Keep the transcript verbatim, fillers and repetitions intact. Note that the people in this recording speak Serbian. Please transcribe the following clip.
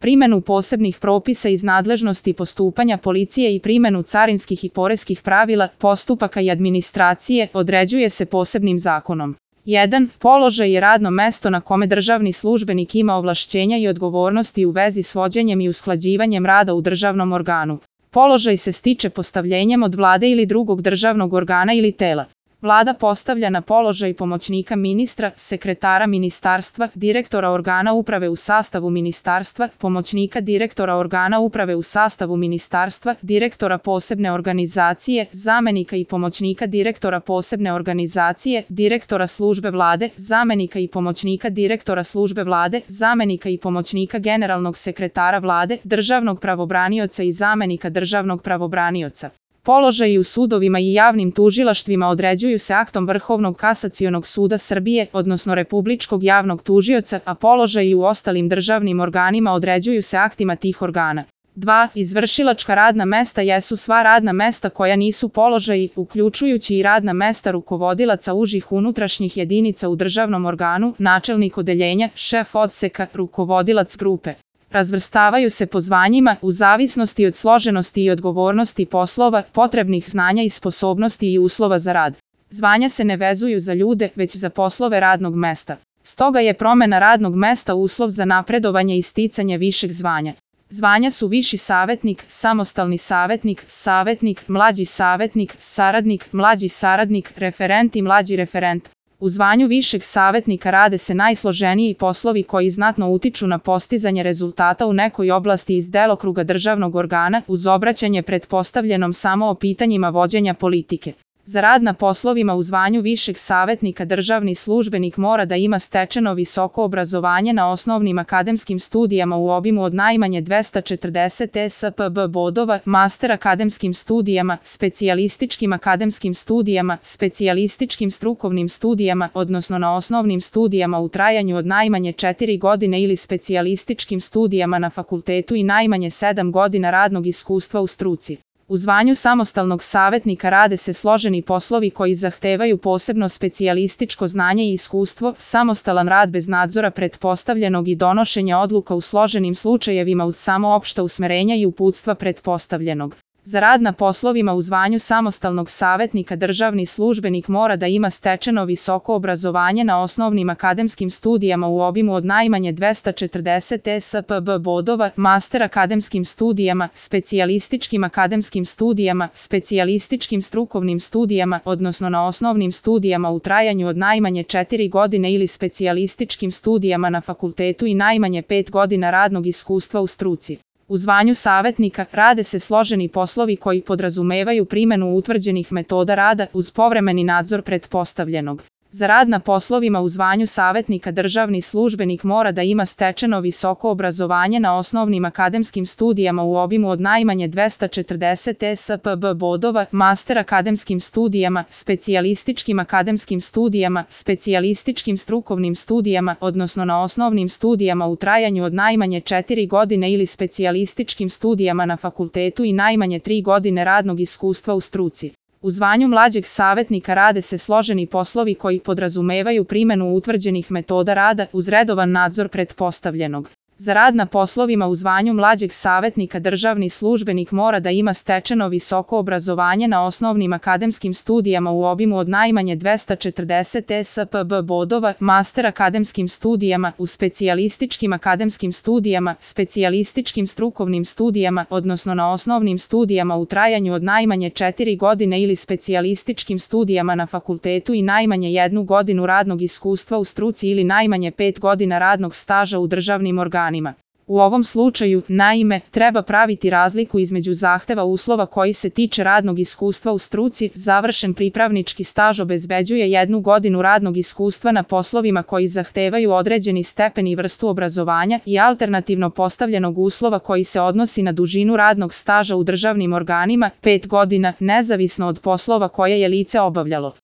primenu posebnih propisa iz nadležnosti postupanja policije i primenu carinskih i poreskih pravila, postupaka i administracije određuje se posebnim zakonom. jedan. Položaj je radno mesto na kome državni službenik ima ovlašćenja i odgovornosti u vezi s vođenjem i usklađivanjem rada u državnom organu. Položaj se stiče postavljenjem od vlade ili drugog državnog organa ili tela. Vlada postavlja na položaj pomoćnika ministra, sekretara ministarstva, direktora organa uprave u sastavu ministarstva, pomoćnika direktora organa uprave u sastavu ministarstva, direktora posebne organizacije, zamenika i pomoćnika direktora posebne organizacije, direktora službe vlade, zamenika i pomoćnika direktora službe vlade, zamenika i pomoćnika generalnog sekretara vlade, državnog pravobranioca i zamenika državnog pravobranioca. Položaji u sudovima i javnim tužilaštvima određuju se aktom Vrhovnog kasacionog suda Srbije, odnosno Republičkog javnog tužioca, a položaji u ostalim državnim organima određuju se aktima tih organa. dva. Izvršilačka radna mesta jesu sva radna mesta koja nisu položaji, uključujući i radna mesta rukovodilaca užih unutrašnjih jedinica u državnom organu, načelnik odeljenja, šef odseka, rukovodilac grupe. Razvrstavaju se po zvanjima u zavisnosti od složenosti i odgovornosti poslova, potrebnih znanja i sposobnosti i uslova za rad. Zvanja se ne vezuju za ljude, već za poslove radnog mesta. Stoga je promena radnog mesta uslov za napredovanje i sticanje višeg zvanja. Zvanja su viši savetnik, samostalni savetnik, savetnik, mlađi savetnik, saradnik, mlađi saradnik, referent i mlađi referent. U zvanju višeg savetnika rade se najsloženiji poslovi koji znatno utiču na postizanje rezultata u nekoj oblasti iz delokruga državnog organa, uz obraćanje pretpostavljenom samo o pitanjima vođenja politike. Za rad na poslovima u zvanju višeg savetnika državni službenik mora da ima stečeno visoko obrazovanje na osnovnim akademskim studijama u obimu od najmanje dvesta četrdeset E S P B bodova, master akademskim studijama, specijalističkim akademskim studijama, specijalističkim strukovnim studijama, odnosno na osnovnim studijama u trajanju od najmanje četiri godine ili specijalističkim studijama na fakultetu i najmanje sedam godina radnog iskustva u struci. U zvanju samostalnog savetnika rade se složeni poslovi koji zahtevaju posebno specijalističko znanje i iskustvo, samostalan rad bez nadzora pretpostavljenog i donošenja odluka u složenim slučajevima uz samo opšta usmerenja i uputstva pretpostavljenog. Za rad na poslovima u zvanju samostalnog savetnika državni službenik mora da ima stečeno visoko obrazovanje na osnovnim akademskim studijama u obimu od najmanje dvesta četrdeset E S P B bodova, master akademskim studijama, specijalističkim akademskim studijama, specijalističkim strukovnim studijama, odnosno na osnovnim studijama u trajanju od najmanje četiri godine ili specijalističkim studijama na fakultetu i najmanje pet godina radnog iskustva u struci. U zvanju savetnika rade se složeni poslovi koji podrazumevaju primenu utvrđenih metoda rada uz povremeni nadzor pretpostavljenog. Za rad na poslovima u zvanju savetnika državni službenik mora da ima stečeno visoko obrazovanje na osnovnim akademskim studijama u obimu od najmanje dvesta četrdeset E S P B bodova, master akademskim studijama, specijalističkim akademskim studijama, specijalističkim strukovnim studijama, odnosno na osnovnim studijama u trajanju od najmanje četiri godine ili specijalističkim studijama na fakultetu i najmanje tri godine radnog iskustva u struci. U zvanju mlađeg savetnika rade se složeni poslovi koji podrazumevaju primenu utvrđenih metoda rada uz redovan nadzor pretpostavljenog. Za rad na poslovima u zvanju mlađeg savetnika državni službenik mora da ima stečeno visoko obrazovanje na osnovnim akademskim studijama u obimu od najmanje dvesta četrdeset E S P B bodova, master akademskim studijama, u specijalističkim akademskim studijama, specijalističkim strukovnim studijama, odnosno na osnovnim studijama u trajanju od najmanje četiri godine ili specijalističkim studijama na fakultetu i najmanje jednu godinu radnog iskustva u struci ili najmanje pet godina radnog staža u državnim organima. U ovom slučaju, naime, treba praviti razliku između zahteva uslova koji se tiče radnog iskustva u struci, završen pripravnički staž obezbeđuje jednu godinu radnog iskustva na poslovima koji zahtevaju određeni stepen i vrstu obrazovanja i alternativno postavljenog uslova koji se odnosi na dužinu radnog staža u državnim organima, pet godina, nezavisno od poslova koje je lice obavljalo.